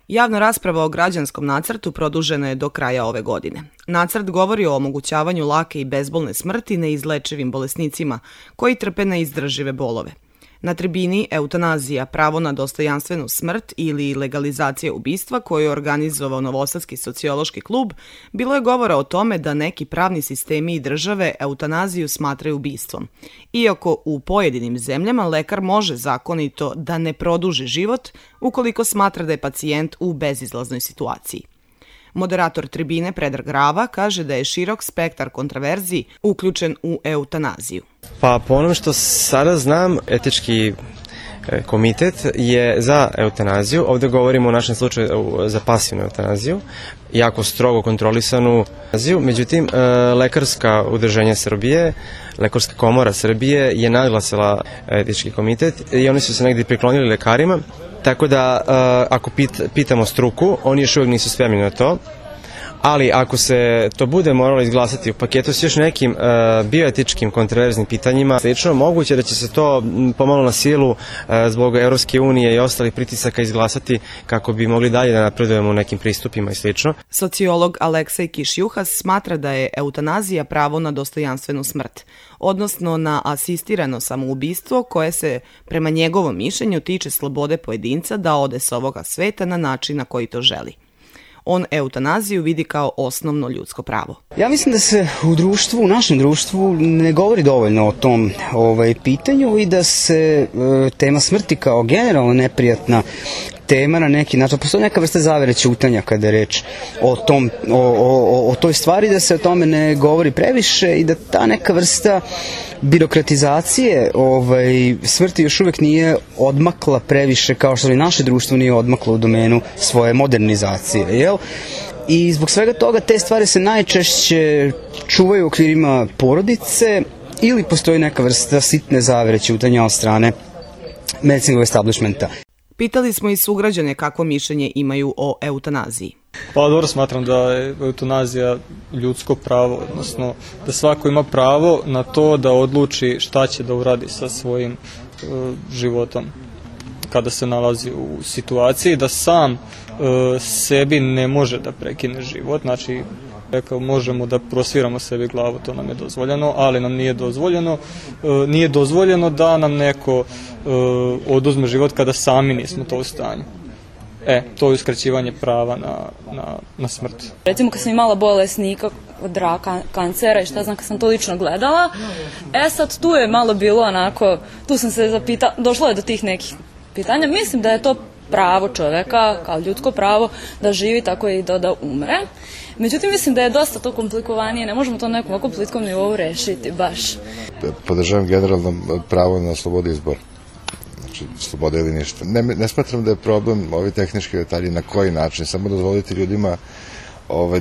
Javna rasprava o građanskom nacrtu produžena je do kraja ove godine. Nacrt govori o omogućavanju lake i bezbolne smrti neizlečivim bolesnicima koji trpe neizdržive bolove. Na tribini Eutanazija, pravo na dostojanstvenu smrt ili legalizacija ubistva koju je organizovao Novosadski sociološki klub, bilo je govora o tome da neki pravni sistemi i države eutanaziju smatraju ubistvom. Iako u pojedinim zemljama lekar može zakonito da ne produži život ukoliko smatra da je pacijent u bezizlaznoj situaciji. Moderator tribine Predrag Rava kaže da je širok spektar kontraverziji uključen u eutanaziju. Pa po onom što sada znam, etički komitet je za eutanaziju. Ovde govorimo u našem slučaju za pasivnu eutanaziju, jako strogo kontrolisanu eutanaziju. Međutim, Lekarska udruženja Srbije, Lekarska komora Srbije je naglasila etički komitet i oni su se negdje priklonili lekarima. Tako da, ako pitamo struku, oni još uvijek nisu spremni na to, ali ako se to bude moralo izglasati u paketu s još nekim bioetičkim kontroverznim pitanjima, slično, moguće da će se to pomalo na silu zbog Evropske unije i ostalih pritisaka izglasati kako bi mogli dalje da napredujemo u nekim pristupima i slično. Sociolog Aleksej Kiš-Juhas smatra da je eutanazija pravo na dostojanstvenu smrt, odnosno na asistirano samoubistvo koje se, prema njegovom mišljenju, tiče slobode pojedinca da ode s ovoga sveta na način na koji to želi. On eutanaziju vidi kao osnovno ljudsko pravo. Ja mislim da se u našem društvu ne govori dovoljno o tom pitanju i da se tema smrti kao generalno neprijatna tema na neki način. Postoji neka vrsta zavere ćutanja kada je reč o toj stvari, da se o tome ne govori previše i da ta neka vrsta birokratizacije smrti još uvek nije odmakla previše, kao što i naše društvo nije odmaklo u domenu svoje modernizacije, jel? I zbog svega toga te stvari se najčešće čuvaju u okvirima porodice ili postoji neka vrsta sitne zavere ćutanja od strane medicinskog establishmenta. Pitali smo i sugrađane kakvo mišljenje imaju o eutanaziji. Pa dobro, smatram da je eutanazija ljudsko pravo, odnosno da svako ima pravo na to da odluči šta će da uradi sa svojim životom kada se nalazi u situaciji da sam sebi ne može da prekine život. Znači, možemo da prosviramo sebi glavu, to nam je dozvoljeno, ali nam nije dozvoljeno da nam neko oduzme život kada sami nismo to u stanju. To je uskraćivanje prava na smrt. Recimo kad sam imala bolesnika od raka, kancera i šta znam, kad sam to lično gledala, sad tu je malo bilo onako, tu sam se zapitala, došlo je do tih nekih pitanja. Mislim da je to pravo čoveka, kao ljudsko pravo, da živi tako i da umre. Međutim, mislim da je dosta to komplikovanije, ne možemo to na nekom ovako političkom nivou rešiti baš. Podržavam generalno pravo na slobodu izbora. Znači, sloboda ili ništa. Ne smatram da je problem ovi tehnički detalji na koji način, samo dozvoliti ljudima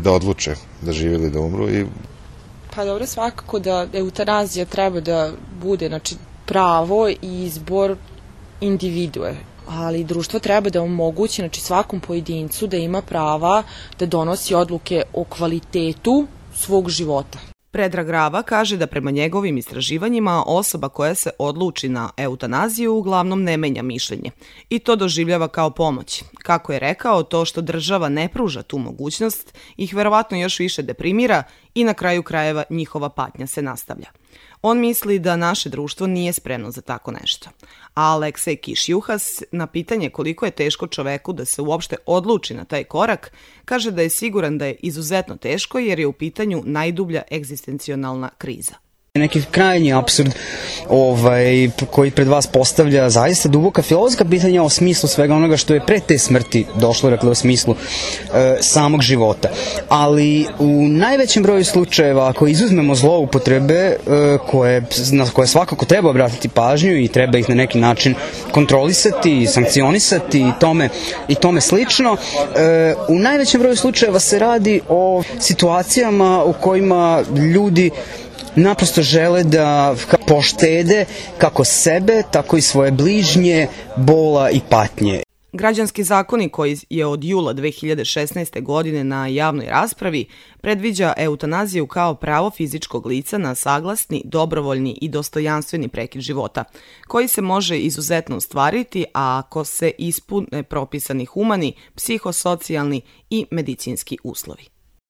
da odluče da žive ili da umru. Pa dobro, svakako da eutanazija treba da bude pravo i izbor individue, ali društvo treba da omogući svakom pojedincu da ima prava da donosi odluke o kvalitetu svog života. Predrag Rava kaže da prema njegovim istraživanjima osoba koja se odluči na eutanaziju uglavnom ne menja mišljenje i to doživljava kao pomoć. Kako je rekao, to što država ne pruža tu mogućnost ih verovatno još više deprimira i na kraju krajeva njihova patnja se nastavlja. On misli da naše društvo nije spremno za tako nešto. A Aleksej Kiš-Juhas na pitanje koliko je teško čoveku da se uopšte odluči na taj korak, kaže da je siguran da je izuzetno teško jer je u pitanju najdublja egzistencionalna kriza. Neki krajnji apsurd koji pred vas postavlja zaista duboka filozofska pitanja o smislu svega onoga što je pre te smrti došlo, dakle o smislu samog života. Ali u najvećem broju slučajeva, ako izuzmemo zloupotrebe na koje svakako treba obratiti pažnju i treba ih na neki način kontrolisati, sankcionisati i tome slično, u najvećem broju slučajeva se radi o situacijama u kojima ljudi naprosto žele da poštede kako sebe, tako i svoje bližnje, bola i patnje. Građanski zakonik koji je od jula 2016. godine na javnoj raspravi predviđa eutanaziju kao pravo fizičkog lica na saglasni, dobrovoljni i dostojanstveni prekid života, koji se može izuzetno ostvariti ako se ispune propisani humani, psihosocijalni i medicinski uslovi.